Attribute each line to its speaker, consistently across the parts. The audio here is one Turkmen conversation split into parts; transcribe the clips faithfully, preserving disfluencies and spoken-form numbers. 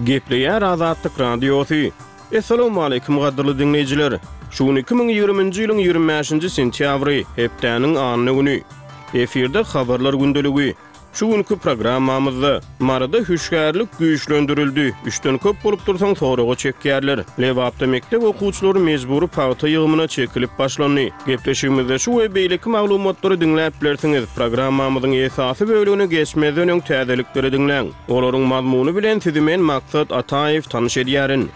Speaker 1: Gepleýär Azatlyk Radiosy. Essalawmaleýkim gadyrly diňleýjiler! Şu gün iki müň ýigriminji ýylyň ýigrimi bäşinji sentýabry, hepdäniň anna güni. Efirde Habarlar gündeligi. Şu günki programmamyzda Maryda hüşgärlik güýçlendirildi, üçden köp bolup dursaň soraga çekýärler. Lebapda mekdep okuwçylary mejbury pagta ýygymyna çekilip başlandy. Gepleşigimizde şu we beýleki maglumatlary diňläp bilersiňiz. Programmamyzyň esasy bölegine geçmezden öň täzelikleri diňläň. Olaryň mazmuny bilen sizi men Maksat Ataýew tanyş edýärin.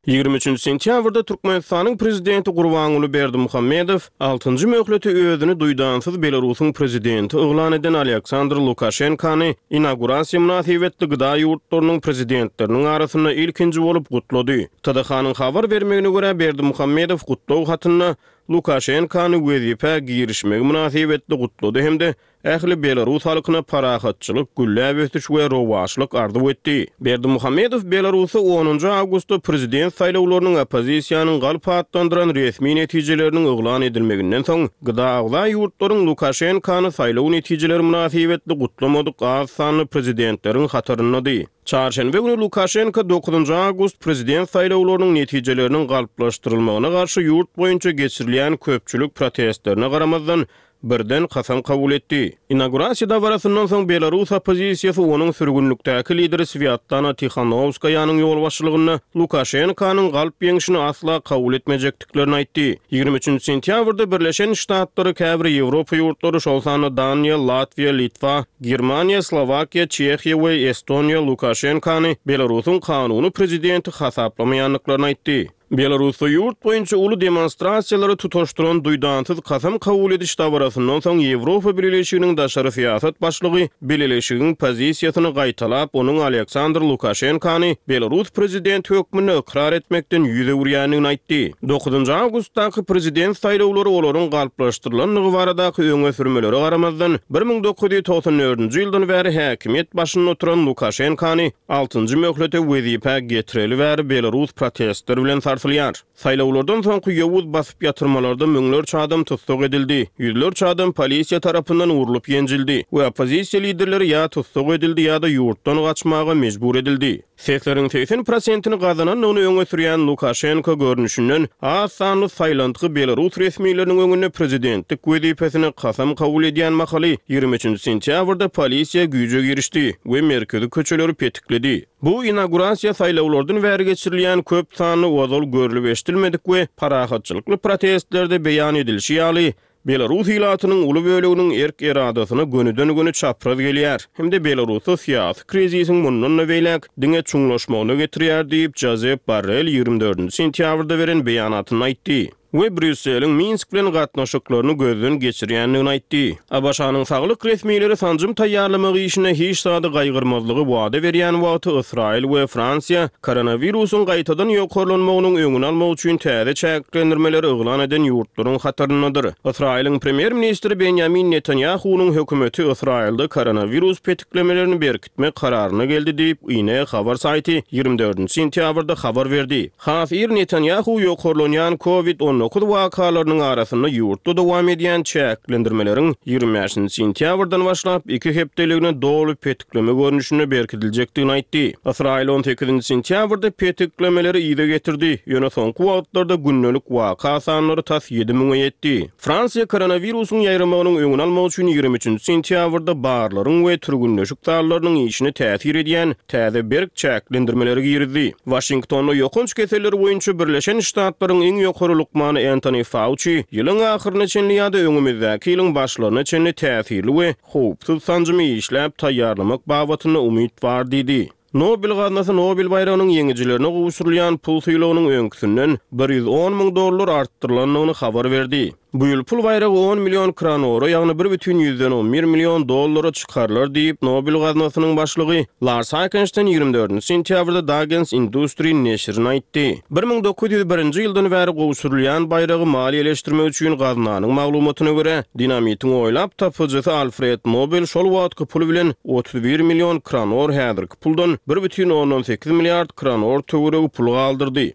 Speaker 1: Ýigrimi üçünji sentýabrda Türkmenistanyň Prezidenti Gurbanguly Berdimuhamedow altynjy möhlete özüni duýdansyz Belarusyň Prezidenti yglan eden Aleksandr Lukaşenkany inaugurasiýa mynasybetli gda ýurtlarynyň Prezidentleriniň arasynda ilkinji bolup gutlady. T D H-nyň habar bermegine görä, Berdimuhamedow gutlag hatynda Lukaşenkany wezipä girişmegi mynasybetli gutlady hem-de ähli belarus halkyna parahatçylyk, gülläp ösüş we rowaçlyk arzuw etdi. Berdimuhamedow Belarusda onunjy awgustda prezident saýlawlarynyň oppozisiýanyň galp atlandyran resmi netijeleriniň yglan edilmeginden soň, gda agza ýurtlaryň Lukaşenkany saýlaw netijeleri mynasybetli gutlamadyk az sanly prezidentleriň hataryndady. Çarşenbe güni Lukaşenko dokuzynjy awgust prezident saýlawlarynyň netijeleriniň galplaşdyrylmagyna garşy ýurt boýunça geçirilýän köpçülik protestlerine garamazdan, birden kasam kabul etdi. Inaugurasiýa dabarasyndan soň belarus oppozisiýasy onuň sürgünlikdäki lideri Swýatlana Tihanowskaýanyň ýolbaşçylygynda Lukaşenkanyň galp ýeňşini asla kabul etmejekdiklerini aýtdy. Ýigrimi üçünji sentýabrda Birleşen Ştatlary, käbir Ýewropa ýurtlary, şol sanda Daniýa, Latwiýa, Litwa, Germaniýa, Slowakiýa, Çehiýa we Estoniýa Lukaşenkany Belarusyň kanuny prezidenti hasaplamaýandyklaryny aýtdy. Belarusda ýurt boýunça uly demonstrasiýalary tutaşdyran duýdansyz kasam kabul ediş dabarasyndan soň Ýewropa Bileleşiginiň daşary syýasat başlygy Bileleşigiň pozisiýasyny gaýtalap, onuň Aleksandr Lukaşenkany Belarus prezidenti hökmünde ykrar etmekden ýüz öwürýändigini aýtdy. Dokuzynjy awgustdaky prezident saýlawlary olaryň galplaşdyrylandygy baradaky öňe sürmelere garamazdan, bir müň dokuz ýüz togsan dördünji ýyldan bäri häkimiýet başynda oturan Lukaşenkany altynjy möhlete wezipä getireli bäri belarus protestler bilen sarsylýar. Saýlawlardan soňky ýowuz basyp ýatyrmalarda müňlerçe adam tussag edildi, ýüzlerçe adam polisiýa tarapyndan urlup ýenjildi we oppozisiýa liderleri ýa tussag edildi ýa-da ýurtdan gaçmaga mejbur edildi. Sesleriň segsen prosentini gazanandygyny öňe sürýän Lukaşenko görnüşinden az sanly saýlantgy belarus resmileriniň öňünde prezidentlik wezipesine kasam kabul edýän mahaly ýigrimi üçünji sentýabrda polisiýa güýje girişdi we merkezi köçeleri petikledi. Bu inaugurasiýa saýlawlardan bäri geçirilýän köp sanly ozal görlüp eşidilmedik we parahatçylykly protestlerde beýan edilişi ýaly, belarus ilatynyň uly böleginiň erk-eradasyna gönüden-göni çapraz gelýär hem-de Belarusda syýasy krizisiň mundan-da beýläk diňe çuňlaşmagyna getirýär diýip, Jozep Borrell ýigrimi dördünji sentýabrda beren beýanatynda aýtdy we Brýusseliň Minsk bilen gatnaşyklaryny gözden geçirýändigini aýtdy. A B Ş-nyň saglyk resmileri sanjym taýýarlamak işine hiç zady gaýgyrmazlygy wada berýän wagty Ysraýyl we Fransiýa koronawirusyň gaýtadan ýokarlanmagynyň öňüni almak üçin täze çäklendirmeleri yglan eden ýurtlaryň hataryndadyr. Ysraýylyň premýer-ministri Benýamin Netanýahunyň hökümeti Ysraýylda koronawirus petiklemelerini berkitmek kararyna geldi diýip, Ine habar saýty ýigrimi dördünji sentýabrda habar berdi. Has ir Netanýahu ýokarlanýan Covid on dokuz wakalarynyň arasynda ýurtda dowam edýän çäklendirmeleriň ýigrimi bäşinji sentýabrdan başlap iki hepdeligine doly petikleme görnüşinde berkidiljekdigini aýtdy. Ysraýyl on sekizinji sentýabrda petiklemeleri yza getirdi, ýöne soňky wagtlarda gündelik waka sanlary tas ýedi müňe ýetdi. Fransiýa koronawirusyň ýaýramagynyň öňüni almak üçin ýigrimi üçünji sentýabrda barlaryň we türgünleşik zallarynyň işine täsir edýän täze berk çäklendirmeleri girizdi. Waşingtonda ýokanç keselleri boýunça Birleşen Ştatlaryň iň ýokary lukmany Entoni Fauçi ýylyň ahyryna çenli ýa-da öňümizdäki ýylyň başlaryna çenli täsirli we howpsuz sanjymy işläp taýýarlamak babatynda umyt bar diýdi. Nobel gaznasy Nobel baýragynyň ýeňijilerine gowşurylýan pul sylagynyň öňküsinden bir ýüz on müň dollar artdyrylandygyny habar berdi. Bu ýyl pul baýragy on million kronora, ýagny bir bütin ýüzden on bir million dollara çykarylar diýip, Nobel gaznasynyň başlygy Lars Heikensten ýigrimi dördünji sentýabrda Dagens Industri neşirine aýtdy. Bir müň dokuz ýüz birinji ýyldan bäri gowşurylýan baýragy maliýeleşdirmek üçin gaznanyň maglumatyna görä, dinamitiň oýlap tapyjysy Alfred Nobel şol wagtky pul bilen otuz bir million kronor, häzirki puldan bir bütin ondan sekiz milliard kronor töweregi pul galdyrdy.